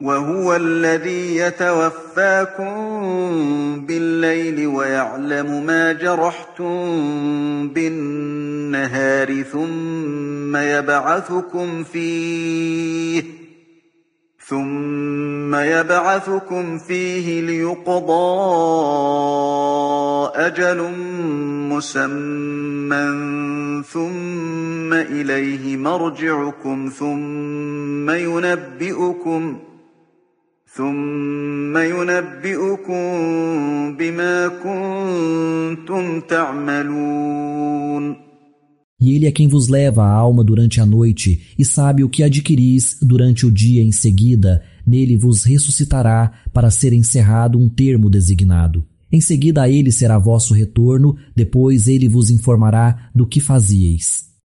وهو الذي يتوفاكم بالليل ويعلم ما جرحتم بالنهار ثم يبعثكم فيه ليقضى أجل مسمى ثم إليه مرجعكم ثم ينبئكم بما كنتم تعملون. E ele é quem vos leva a alma durante a noite e sabe o que adquiris durante o dia em seguida. Nele vos ressuscitará para ser encerrado um termo designado. Em seguida a ele será vosso retorno, depois ele vos informará do que fazieis.